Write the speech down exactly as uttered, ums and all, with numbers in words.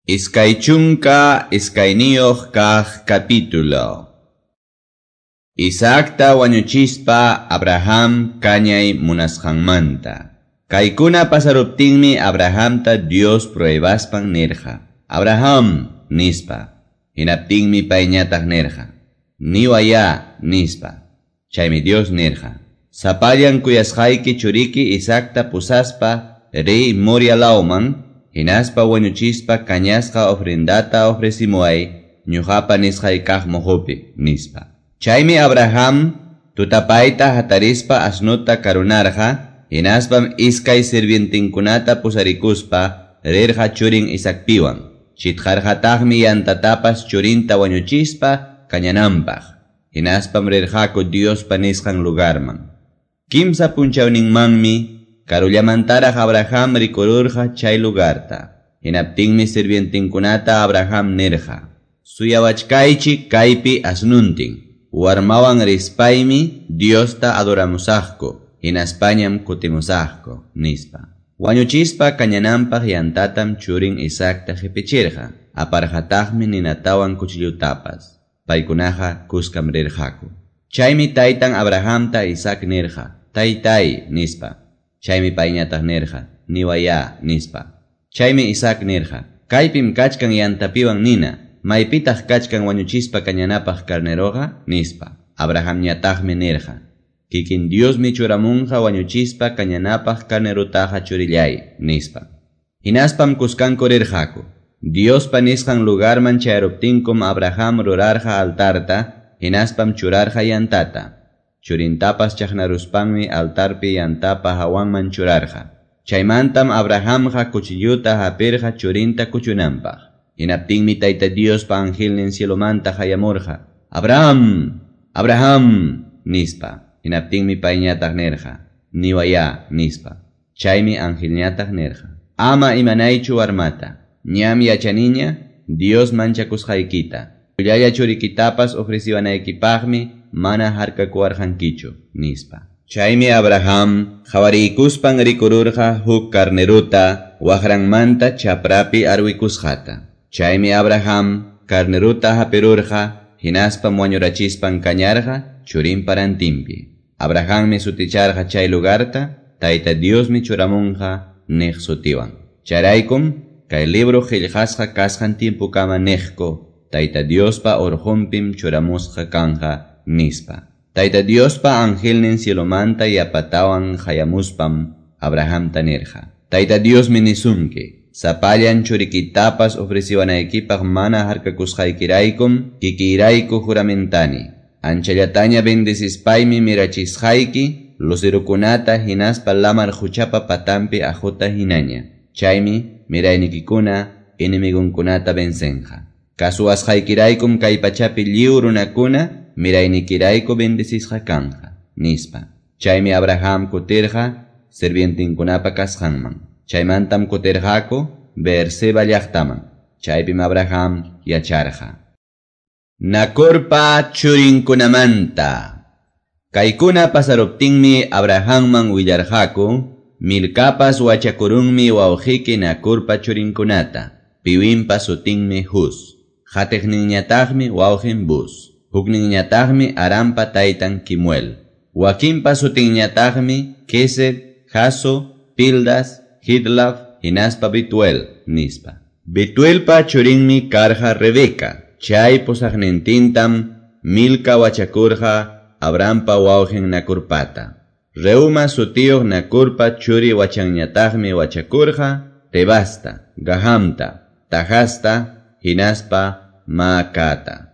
Iskay chunka iskayniyuq kaq capítulo. Isaacta wañuchispa Abraham kañay munasqanmanta. Kaykuna pasaruptinmi Abrahamta Dios pruebaspan nirqa. Abraham, nispa. Hinaptinmi payñataq nirqa. Niwaya, nispa. Chaymi Dios nirqa. Sapallan kuyasqayki churiki Isaacta pusaspa riy Moria lawman, hinaspa wañuchispa kañasqa ofrendata ofrecimuay ñuqapa nisqay kaq muhupi, nispa. Chaymi Abraham tutapayta hatarispa asnuta karunarqa, hinaspam iskay sirvientinkunata pusarikuspa rirqa churin Isaacpiwan. Chitqarqataqmi yantatapas churinta wañuchispa kañananpaq. Hinaspam rirqaku Diospa nisqan lugarman. Kimsa punchawninmanmi karullamantaraq Abraham rikururqa chay lugarta. Hinaptinmi sirvientinkunata Abraham nirqa: Suyawachkaychik kaypi asnuntin. Warmawan rispaymi Diosta adoramusaqku, hinaspañam kutimusaqku, nispa. Wañuchispa kañananpaq yantatam churin Isaacta qipichirqa. Aparqataqmi ninatawan cuchillutapas. Paykunaqa kuskam rirqaku. Chaymi taytan Abrahamta Isaac nirqa: Taytay, nispa. Chaymi payñataq nirqa: Niwaya, nispa. Chaymi Isaac nirqa: Kaypim kachkan yantapiwan nina, maypitaq kachkan wañuchispa kañanapaq carneroqa, nispa. Abrahamñataqmi nirqa: Kikin Diosmi churamunqa wañuchispa kañanapaq carnerutaqa churillay, nispa. Hinaspam kuskanku rirqaku. Diospa nisqan lugarman chayaruptinkum Abraham rurarqa altarta, hinaspam churarqa yantata. Churintapas chaqnaruspanmi altarpi yantapa hawanman churarqa. Chaymantam Abrahamqa cuchilluta hapirqa churinta kuchunanpaq. Hinaptinmi Tayta Diospa angelnin cielomanta hayamurqa: Abraham, Abraham, nispa. Hinaptinmi payñataq nirqa: Niwaya, nispa. Chaymi angelñataq nirqa: Ama imanaychu warmata. Ñam yachaniña Dios manchakusqaykita. Ullalla churikitapas ofreciwanaykipaqmi mana harkakuwarqankichu, nispa. Chaymi Abraham qawariykuspan rikururqa huk carneruta waqranmanta chaprapi arwikusqata. Chaymi Abraham carneruta hapirurqa, hinaspam wañurachispan kañarqa churinpa rantinpi. Abrahammi suticharqa chay lugarta Tayta Diosmi churamunqa niq sutiwan. Chayraykum kay libro qillqasqa kasqan tiempukama niqku Tayta Diospa urqunpim churamusqa kanja, nispa. Tayta Diospa angelnin cielomanta yapatawan hayamuspam Abrahamta nirqa: Tayta Diosmi nisunki, sapallan churikitapas ofreciwanaykipaq mana harkakusqaykiraykum kikiyrayku juramentani. Anchallataña bendecispaymi mirachisqayki lucerukunata hinaspa lamar quchapa patampi ajuta hinaña. Chaymi miraynikikuna enemigunkunata vencenqa. Kasuwasqaykiraykum kay pachapi lliw runakuna miraynikirayku bendecisqa kanja, nispa. Chaymi Abraham kutirqa sirvientinkunapa kasqanman. Chaymantam kutirqaku Beerseba llaqtaman. Chaypim Abraham yacharqa. Nacorpa churinkunamanta. Kaykuna pasaruptinmi Abrahamman willarqaku: Milcapas wachakurunmi wawqiki Nacorpa churinkunata. Piwinpa sutinmi Hus. Hatiqninñataqmi wawqin Buz. Hukninñataqmi Arampa taytan Kimuel. Wakinpa sutinñataqmi Kesed, Jaso, Pildas, Hidlaf, hinaspa Bituel, nispa. Bituelpa churinmi karqa Rebeca. Chay pusaqnintintam Milca wachakurqa Abrahampa wawqin Nacorpata. Reuma sutiyuq Nacorpa churi wachanñataqmi wachakurqa Tebasta, Gahamta, Tajasta, hinaspa Maacata.